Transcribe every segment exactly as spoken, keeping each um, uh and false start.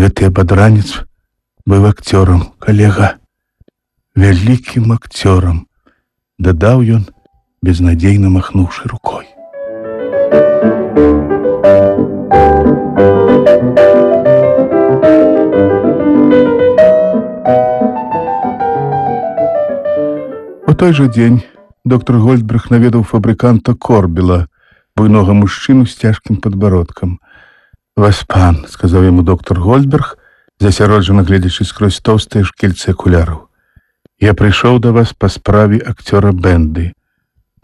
Гэты абадранец быў акцёрам, калега, вялікім акцёрам, дадаў ён, безнадзейна махнуўшы рукой. У той жа дзень доктор Гольдберг наведаў фабрыканта Корбела, буйнога мужчыну з цяжкім падбародкам. «Вас пан», — сказаў яму доктор Гольдберг, засяроджана гледзячы скрозь тоўстыя шкільцы акуляраў. «Я прыйшоў да вас па справе акцёра Бэнды».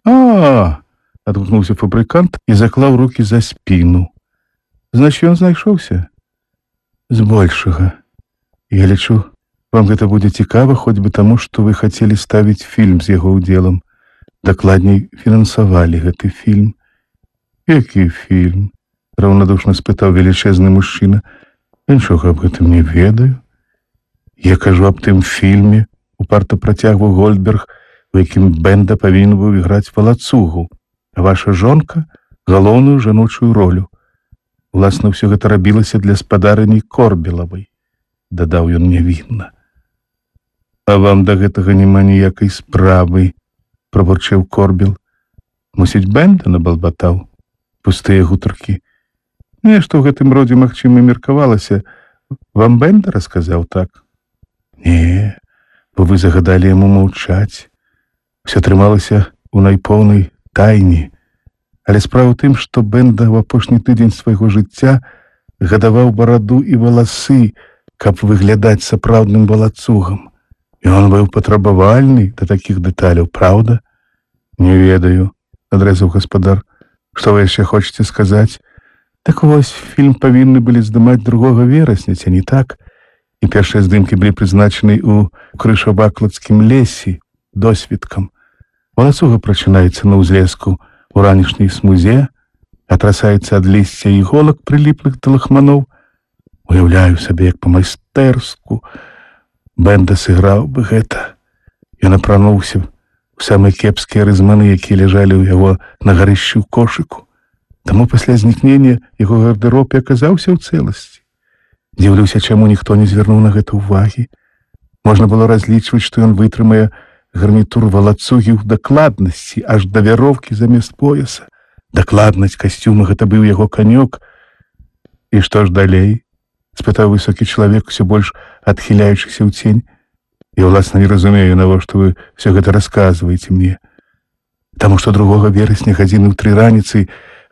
«А-а-а!» — адгукнуўся фабрыкант і заклаў рукі за спіну. «Значит, ён знайшоўся?» «Збольшага. Я лічу, вам гэта будзе цікава, хоць бы таму, што вы хацелі ставіць фільм з яго ўдзелам. Дакладней, фінансавалі гэты фільм». «Які фільм?» — раўнадушна спытаў велічэзны мужчына. «Нічога аб гэтым не ведаю. Я кажу аб тым фільме», — упарта працягваў Гольдберг, у якім Бэнда павінен быў іграць валацугу, а ваша жонка — галоўную жаночую ролю. Уласна, ўсё гэта рабілася для спадарыні Корбелавай», — дадаў ён нявінна. «А вам да гэтага няма ніякай справы», — прабурчэў Корбел. «Мусіць, Бэнда набалбатаў? Пустыя гутаркі. Нешта ў гэтым родзе, магчыма, меркавалася. Вам Бэнда расказаў так?» «Не, бо вы загадалі яму маўчаць. Усё трымалася ў найпоўнай тайне. Але справа ў тым, што Бэнда ў апошні тыдзень свайго жыцця гадаваў бараду і валасы, каб выглядаць сапраўдным валацугам. І ён быў патрабавальны да такіх дэталяў, праўда?» «Не ведаю», — адрэзаў гаспадар. «Што вы яшчэ хочаце сказаць?» «Так вось, фільм павінны былі здымаць другога верасня, ці не так? І першыя здымкі былі прызначаны ў крышавакладскім лесе досвідкам. Валацуга прачынаецца на ўзлеску у ранішняй смузе, атрасаецца ад лісця іголак, прыліплых да лахманоў. Уяўляю сабе, як па-майстэрску Бэнда сыграў бы гэта. Ён апрануўся у самыя кепскія рызманы, якія ляжалі ў яго на гарышчы ў кошыку. Таму пасля знікнення яго гардэроб і аказаўся ў цэласці. Дзіўлюся, чаму ніхто не звярнуў на гэта ўвагі. Можна было разлічваць, што ён вытрымае гарнітур валацугі ў дакладнасці, аж да вяроўкі замест пояса. Дакладнасць касцюма — гэта быў яго канёк. «І што ж далей?» — спытаў высокі чалавек, усё больш адхіляючыся ў цень. «Я, ўласна, не разумею, навошта вы ўсё гэта расказваеце мне. Таму што другога верасня гадзіны ў тры раніцы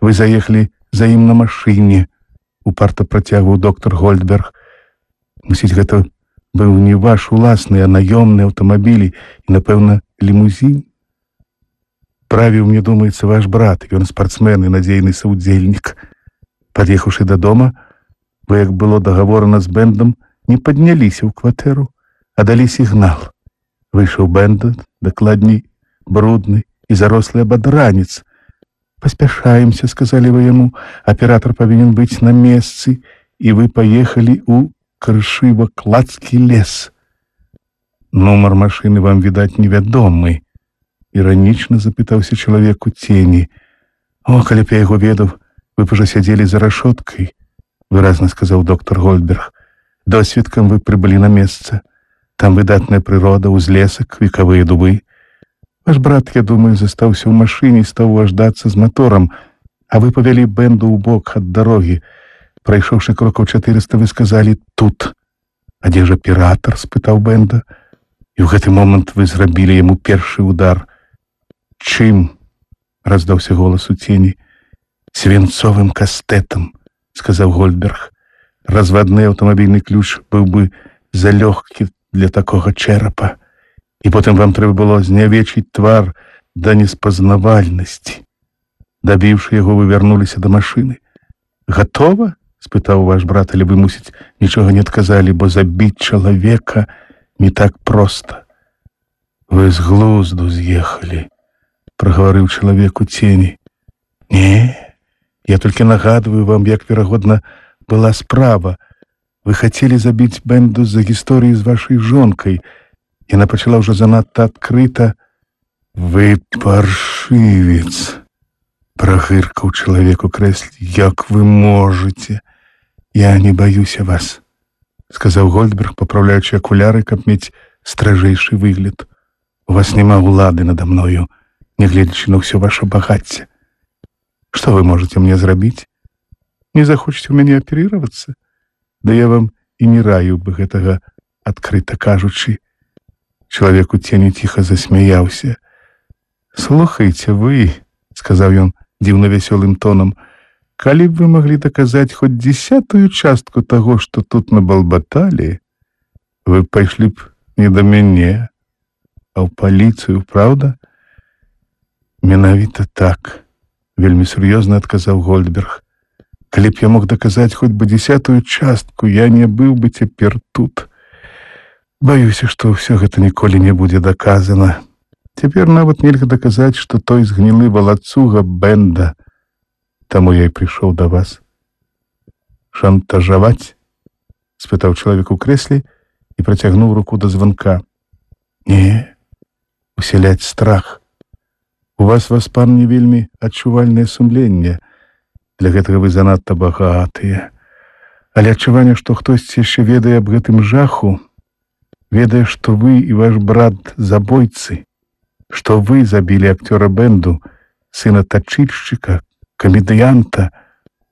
вы заехалі за ім на машыне», — упарта працягваў доктор Гольдберг. «Мусіць, гэта быў не ваш уласны, а наёмны аўтамабіль і, напэўна, лімузін. Правіў, мне думаецца, ваш брат, ён спартсмен і надзейны саўдзельнік. Пад'ехаўшы дадому, вы, як было дагаворана з Бэндам, не падняліся ў кватэру, а далі сігнал. Выйшаў Бэнда, дакладней, брудны і зарослы абадранец. «Паспяшаемся», — сказалі вы яму, «аператар павінен быць на месцы, і вы паехалі ў крышывакладскі лес». «Нумар машыны вам, відаць, невядомы», — іранічна запытаўся чалавек у цені. «О, калі б я яго ведаў, вы б ужо сядзелі за рашоткай», — выразна сказаў доктор Гольдберг. «Досвідкам вы прыбылі на месца. Там выдатная прырода, узлесак, векавыя дубы. Ваш брат, я думаю, застаўся ў машыне і стаў аждацца з маторам, а вы павялі Бэнду ў бок ад дарогі. Прайшоўшы крокаў чатырыста, вы сказалі «тут». А дзе ж аператар?» — спытаў Бэнда. І ў гэты момант вы зрабілі яму першы удар. «Чым?» — раздаўся голас у цені. «Свінцовым кастэтам», — сказаў Гольдберг. «Развадны аўтамабільны ключ быў бы залёгкі для такога чэрапа. І потым вам трэба было знявечыць твар да неспазнавальнасці. Дабіўшы яго, вы вярнуліся да машыны. Гатова?» — спытаў ваш брат, але вы, мусіць, нічога не адказалі, бо забіць чалавека не так проста. «Вы з глузду з'ехалі», — прагаварыў чалавек у цені. «Не, я толькі нагадваю вам, як, верагодна, была справа. Вы хацелі забіць Бэнду з-за гісторыі з вашай жонкай. Яна пачала ўжо занадта адкрыта». «Вы паршывец», — прагыркаў чалавек у крэсле. «Як вы можаце? Я не баюся вас. сказаў Гольдберг, папраўляючы акуляры, каб мець стражэйшы выгляд. У вас няма ўлады надо мною, нягледзячы на ўсё ваше багацце. Што вы можете мне зрабіць? Не захочаце ў мяне аперироваться? Да я вам і не раю бы гэтага, адкрыта кажучы. Чалавек у цені ціха засмяяўся. Слухайце вы, сказаў ён дзіўна вясёлым тонам, калі б вы маглі даказаць хоць дзесятую частку таго, што тут набалбаталі, вы пайшлі б не да мяне, а ў паліцыю, праўда? Менавіта так, вельмі сур'ёзна адказаў Гольдберг. Калі б я мог даказаць хоць бы дзесятую частку, я не быў бы цяпер тут. Баюся, што ўсё гэта ніколі не будзе даказана. Цяпер нават нельга даказаць, што той згнілы валацуга Бенда. Таму я і прыйшоў да вас. Шантажаваць? Спытаў чалавек у крэсле і працягнуў руку да званка. Не, усяляць страх. У вас, Васпан, не вельмі адчувальнае сумленне. Для гэтага вы занадта багатыя. Але адчуванне, што хтосьці яшчэ ведае аб гэтым жаху, ведае, што вы і ваш брат забойцы, што вы забілі акцёра Бенду, сына тачыльшчыка, камедыянта,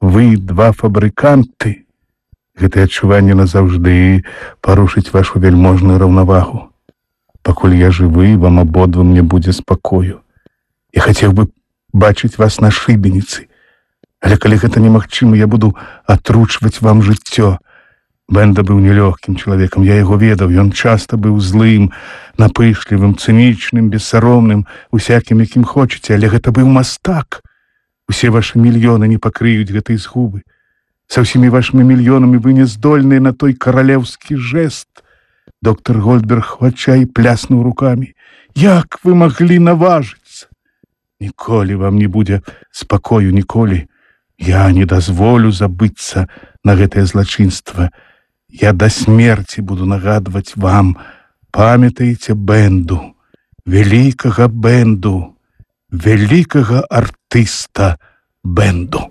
вы два фабрыканты. Гэтае адчуванне назаўжды парушыць вашу вельможную раўнавагу. Пакуль я жывы, вам абодвум не будзе спакою. Я хацеў бы бачыць вас на шыбеніцы, але калі гэта немагчыма, я буду атручваць вам жыццё. Бенда быў нелёгкім чалавекам, я яго ведаў, ён часта быў злым, напышлівым, цынічным, бессаромным, усякім, якім хочаце, але гэта быў мастак. Усе ваши мільёны не пакрыюць гэтай згубы. Са ўсімі вашымі мільёнамі вы не здольныя на той каралеўскі жэст. Доктор Гольдберг у адчаі пляснуў рукамі. Як вы маглі наважыцца? Ніколі вам не будзе спакою, ніколі. Я не дазволю забыцца на гэтае злачынства. Я да смерці буду нагадваць вам, памятаеце Бенду, вялікага Бенду, вялікага артыста Бенду.